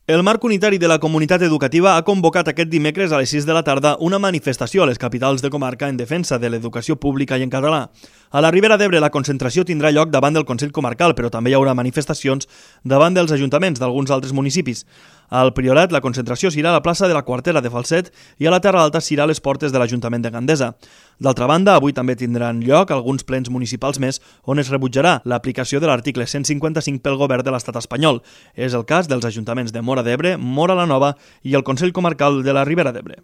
El Marc Unitari de la Comunitat Educativa ha convocat aquest dimecres a les 6 de la tarda una manifestació a les capitals de comarca en defensa de l'educació pública i en català. A la Ribera d'Ebre la concentració tindrà lloc davant del Consell Comarcal, però també hi haurà manifestacions davant dels ajuntaments d'alguns altres municipis. Al Priorat la concentració serà a la plaça de la Quartera de Falset i a la Terra Alta serà a les portes de l'Ajuntament de Gandesa. D'altra banda, avui també tindran lloc alguns plens municipals més on es rebutjarà l'aplicació de l'article 155 pel govern de l'estat espanyol. És el cas dels ajuntaments de Móra d'Ebre, Móra la Nova i el Consell Comarcal de la Ribera d'Ebre.